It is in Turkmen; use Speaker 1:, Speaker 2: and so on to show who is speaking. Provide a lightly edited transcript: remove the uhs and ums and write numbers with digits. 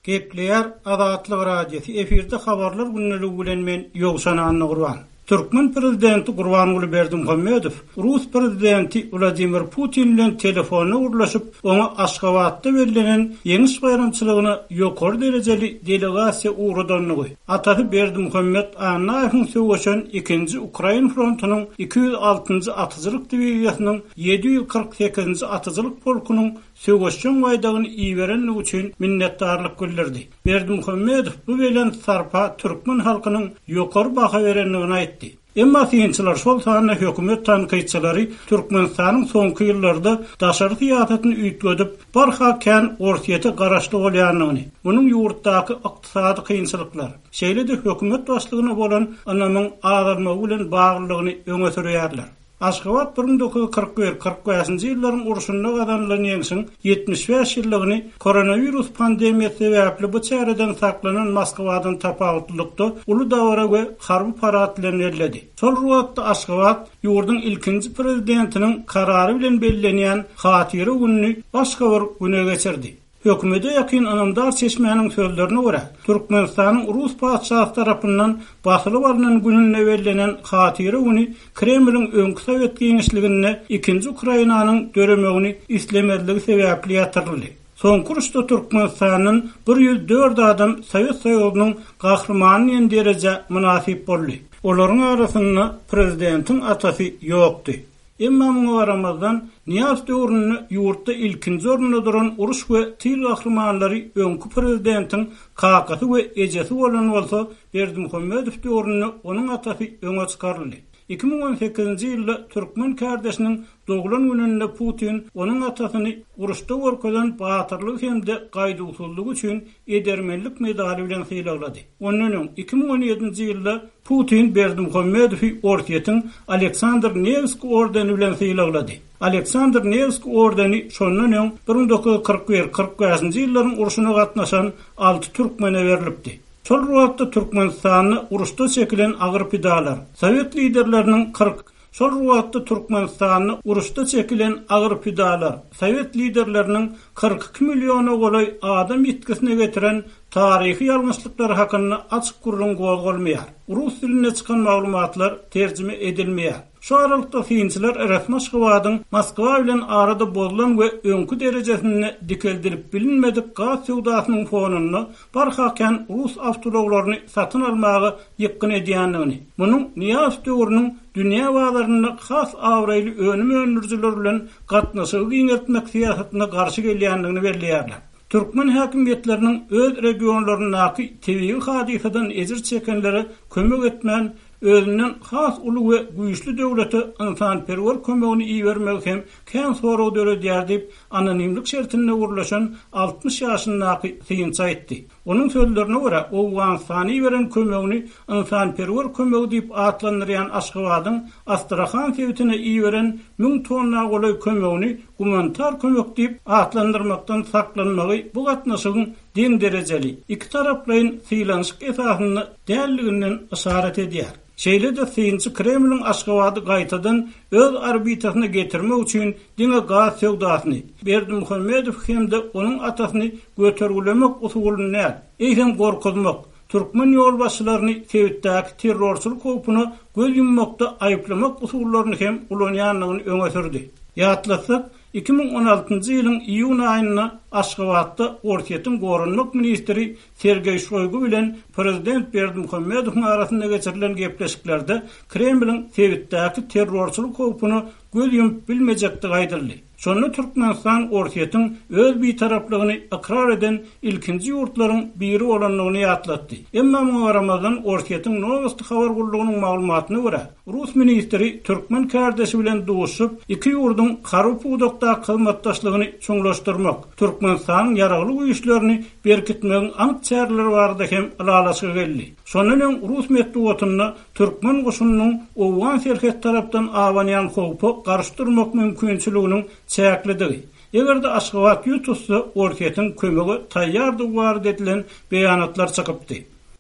Speaker 1: Gepleýär Azatlyk Radiosy, efirde Habarlar gündeligi bilen men Ýowşan Annagurban. Türkmen prezidenti Gurbanguly Berdimuhamedow rus prezidenti Wladimir Putin bilen telefonda gürleşip, oňa Aşgabatda bellenen Ýeňiş baýramçylygyna ýokary derejeli delegasiýa ugradandygy, atasy Berdimuhamet Annaýewiň söweşen ikinji Ukrain frontunyň 206-njy atyjylyk diwiziýasynyň 748-nji atyjylyk polkunyň söweşjeň baýdagyny iberendigi üçin minnetdarlyk bildirdi. Berdimuhamedow bu belent sarpa türkmen halkynyň ýokary baha berendigini aýtdy. Emma synçylar, şol sanda hökümet tankytçylary Türkmenistanyň soňky ýyllarda daşary syýasatyny üýtgedip, barha kän Orsýete garaşly bolýandygyny, munuň ýurtdaky ykdysady kynçylyklar, şeýle-de hökümet başlygyna bolan ynamyň azalmagy bilen baglydygyny öňe sürýärler. Aşgabat 1941, 45-nji ýyllaryň urşunda gazanylan ýeňşiň 75 ýyllygyny koronawirus pandemiýasy sebäpli bu çäreden saklanan Moskwadan tapawutlylykda uly dabara we harby parad bilen belledi. Şol bir wagtda Aşgabat ýurduň ilkinji prezidentiniň karary bilen bellenýän Hatyra gününi başga bir güne geçirdi. Hökümete ýakyn ynamdar çeşmäniň sözlerine görä, Türkmenistanyň rus patyşasy tarapyndan basylyp alnan gününde bellenen Hatyra güni Kremliň öňki sowet giňişliginde ikinji Ukrainanyň döremegini islemezligi sebäpli ýatyryldy. Soňky uruşda Türkmenistandan 104 adam Sowet Soýuzynyň Gahrymany diýen derejä mynasyp boldy. Olaryň arasynda prezidentiň atasy ýokdy. Emma muňa garamazdan, Nyýazow döwründe ýurtda ilkinji orunda duran uruş we tyl gahrymanlary öňki prezidentiň kakasy we ejesi bolan bolsa, Berdimuhamedow döwründe onuň atasy öňe çykaryldy. 2018-nji ýylda türkmen kärdeşiniň doglan gününde Putin onuň atasyny uruşda görkezen batyrlygy hem-de gaýduwsyzlygy üçin Edermenlik medaly bilen sylaglady. Ondan öň, 2017-nji ýylda Putin Berdimuhamedowy Orsýetiň Aleksandr Newskiý ordeni bilen sylaglady. Aleksandr Newskiý ordeni şondan öň 1941, 45-nji ýyllaryň urşuna gatnaşan alty türkmene berlipdi. Şol bir wagtda Türkmenistanda uruşda çekilen agyr pidalar, sowet liderleriniň 40 Şol bir wagtda Türkmenistanda uruşda çekilen agyr pidalar, sowet liderleriniň 42 milliona golaý adam ýitgisine getiren taryhy ýalňyşlyklary hakynda açyk gürrüň gozgalmaýar. Rus dilinde çykan maglumatlar terjime edilmeýär. Şu aralykda synçylar resmi Aşgabadyň Moskwa bilen arada bozulan we öňki derejesinde dikeldilip bilinmedik gaz söwdasynyň fonunda barha kän rus awtoulaglaryny satyn almaga ýykgyn edýändigini, munuň Nyýazow döwrüniň dünýä bazarynda has abraýly önüm öndürijiler bilen gatnaşygy giňeltmek syýasatyna garşy gelýändigini belleýärler. Türkmen häkimiýetleriniň öz regionlaryndaky tebigy hadysadan ejir çekenlere kömek etmän, özünden has uly we güýçli döwlete ynsanperwer kömegini ibermegi hem kän sorag döredýär diýip, anonimlik şertinde gürleşen 60 ýaşyndaky synçy aýtdy. Onuň sözlerine görä, Owganystana iberen kömegini ynsanperwer kömegi diýip atlandyrýan Aşgabadyň Astrahan sebitine iberen müň tonna golaý kömegini gumanitar kömek diýip atlandyrmakdan saklanmagy bu gatnaşygyň deň derejeli, ikitaraplaýyn sylanyşyk esasynda däldiginden yşarat edýär. Şeýle-de synçy Kremliň Aşgabady gaýtadan öz orbitasyna getirmek üçin diňe gaz söwdasyny, Berdimuhamedowy hem-de onuň atasyny götergilemek usulyny däl, eýsem gorkuzmak, türkmen ýolbaşçylaryny sebitdäki terrorçylyk howpuna göz ýummakda aýyplamak usullaryny hem ulanýandygyny öňe sürdi. Ýatlatsak, 2016-njy ýylyň iýun aýynda Aşgabatda Orsýetiň goranmak ministri Sergeý Şoýgu bilen prezident Berdimuhamedowyň arasynda geçirilen gepleşiklerde Kremliň sebitdäki terrorçylyk howpuna göz ýumup bilmejekdigi aýdyldy. Şonda Türkmenistan Orsýetiň öz bitaraplygyny ykrar eden ilkinji ýurtlaryň biri bolandygyny ýatlatdy. Emma muňa garamazdan Orsýetiň Nowosti habar gullugynyň maglumatyna görä, Rus ministri türkmen kärdeşi bilen duşuşyp, iki ýurduň harby pudakdaky hyzmatdaşlygyny çuňlaşdyrmak, Türkmenistanyň Ýaragly Güýçlerini berkitmegiň anyk çäreleri barada hem ylalaşyga geldi. Şondan öň rus metbugatynda türkmen goşunynyň owgan serhet tarapdan abanýan howpa garşy durmak mümkinçiliginiň çäklidigi, eger-de Aşgabat ýüz tutsa, Orsýetiň kömege taýýardygy barada edilen beýanatlar çykypdy.